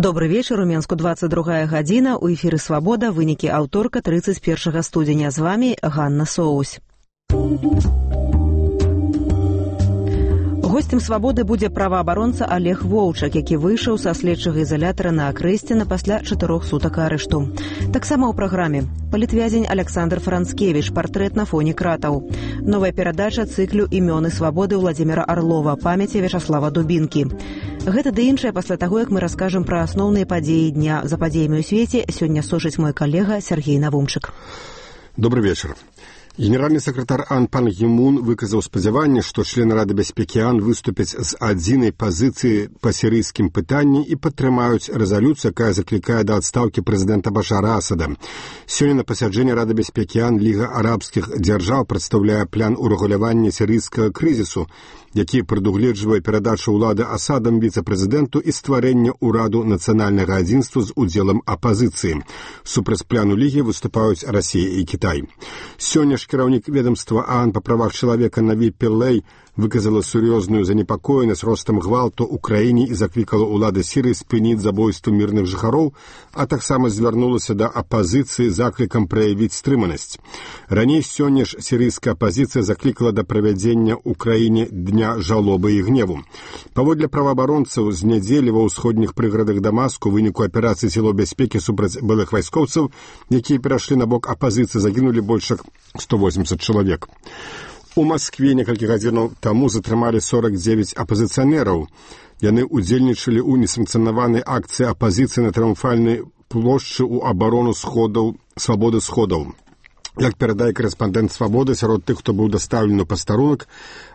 Добрый вечер, у Менску 22 гадзіна, у эфіры «Свабода», вынікі аўторка 31 студзеня. З вами Ганна Соусь. Гостем «Свабоды» будзе праваабаронца Олег Воўчак, які выйшаў са следчага ізалятара на Акрэсціна пасля 4 сутак арышту. Таксама ў праграме палітвязень Александр Францкевич, партрэт на фоне кратаў. Новая перадача цыклю «Імёны свабоды» Владзіміра Арлова, памяці Вячаслава Дубінкі. Гэта ды іншае пасля таго, як мы раскажам пра асноўныя падзеі дня. За падзеямі ў свеце сёння сочыць мой калега Сергей Навумчык. Добрый вечер. Генеральны сакратар АН пан Кі Мун выказаў спадзяванне, што члены Рады бяспекі АН выступяць з адзінай пазіцыі па сірыйскім пытанні і падтрымаюць рэзалюцыю, якая заклікае да адстаўкі прэзідэнта Башара Асада. Сёння на пасяджэнні Рады бяспекі АН Ліга арабскіх дзяржаў прадстаўляе план урэгулявання сірыйскага крызісу, які прадугледжвае перадачу ўлады Асадам віцэ-прэзідэнту і стварэнне ўраду нацыянальнага адзінства з удзелам апазіцыі. Супраць плану Лігі выступаюць Расія і Кітай. Сёння ж кіраўнік ведомства АН па правах чалавека Наві Піллэй выказала сур'ёзную занепакоенасць ростам гвалту ў краіне і заклікала ўлады Сірыі спыніць забойства мірных жыхароў, а таксама звярнулася да апазіцыі заклікам праявіць стрыманасць. Раней сёння ж сірыйская апазіцыя заклікала да правядзення ў краіне дня жалобы і гневу. Паводле праваабаронцаў, з нядзелі ва ўсходніх прыградах Дамаску у выніку аперацыі сілаў бяспекі супраць былых вайскоўцаў, якія перайшлі на бок апазіцыі, загінулі больш як 180 чалавек. У Маскве некалькі гадзінаў таму затрымалі 49 апазіцыянераў. Яны ўдзельнічалі ў несанкцыянаванай акцыі апазіцыі на трыумфальнай плошчы ў абарону сходаў, свабоды сходаў. Як перадае корэспандэнт «Свабоды», сярод тых, хто быў дастаўлены ў пастарунак,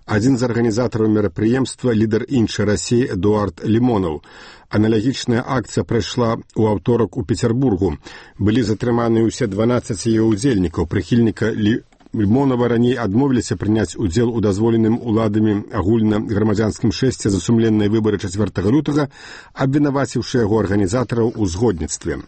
адзін з арганізатараў мерапрыемства, лідар іншай Расіі Эдуард Лімонаў. Аналагічная акцыя прайшла ў аўторак у Петербургу. Былі затрыманы ўсе 12 яе ўдзельнікаў. Прыхільніка Лімонава раней адмовіліся прыняць удзел у дазволеным уладамі агульнаграмадзянскім шэсце за сумленныя выбары 4 лютага, абвінаваціўшы яго арганізатараў у згодніцтве.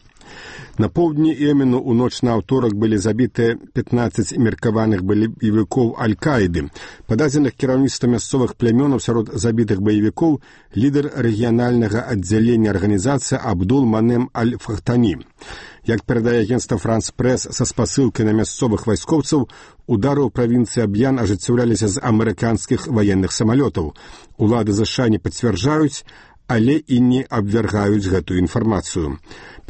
На поўдні Йемену ў ноч на аўторак былі забітыя 15 меркаваных баевікоў Аль-Каіды. Па дадзеных кіраўніцтва мясцовых плямёнаў сярод забітых баевікоў лідар рэгіянальнага аддзялення арганізацыі Абдул Манем Аль-Фахтані. Як перадае агенцтва «Франс Прэс» са спасылкай на мясцовых вайскоўцаў, удары ў правінцыі Аб'ян ажыццяўляліся з амерыканскіх ваенных самалётаў. Улады США не пацвярджаюць, але і не абвяргаюць гэтую інфармацыю.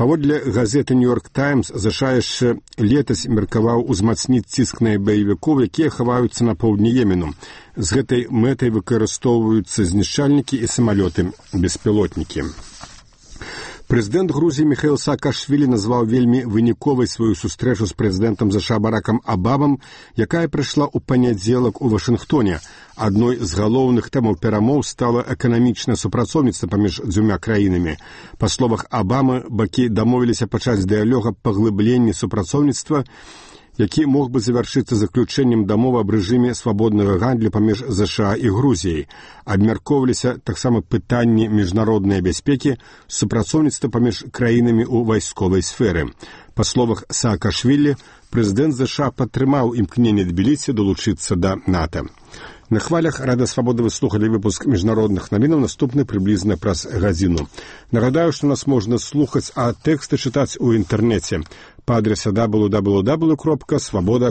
Паводле газеты «Нью-Йорк Таймс» США яшчэ летась меркаваў узмацніць ціск на баевікоў, якія хаваюцца на поўдні Йемену. З гэтай мэтай выкарыстоўваюцца знішчальнікі і самалёты-беспілотнікі. Прэзідэнт Грузіі Міхаіл Саакашвілі назваў вельмі выніковай сваю сустрэчу з прэзідэнтам ЗША Баракам Абамам, якая прайшла ў панядзелак у Вашынгтоне. Адной з галоўных тэмаў перамоў стала эканамічнае супрацоўніцтва паміж дзвюма краінамі. Па словах Абамы, бакі дамовіліся пачаць дыялог аб паглыбленні супрацоўніцтва, які мог бы завяршыцца заключэннем дамовы аб рэжыме свабоднага гандлю паміж ЗША і Грузіяй. Абмяркоўваліся таксама пытанні міжнароднай бяспекі, супрацоўніцтва паміж краінамі ў вайсковай сферы. Па словах Саакашвілі, прэзідэнт ЗША падтрымаў імкненне Тбілісі далучыцца да НАТО. На хвалях Рада Свабоды вы слухали выпуск міжнародных навінаў, наступны прыблізна праз гадзіну. Нагадаю, што нас можна слухаць, а тэксты чытаць у інтэрнэце па адрасе www.svoboda.org.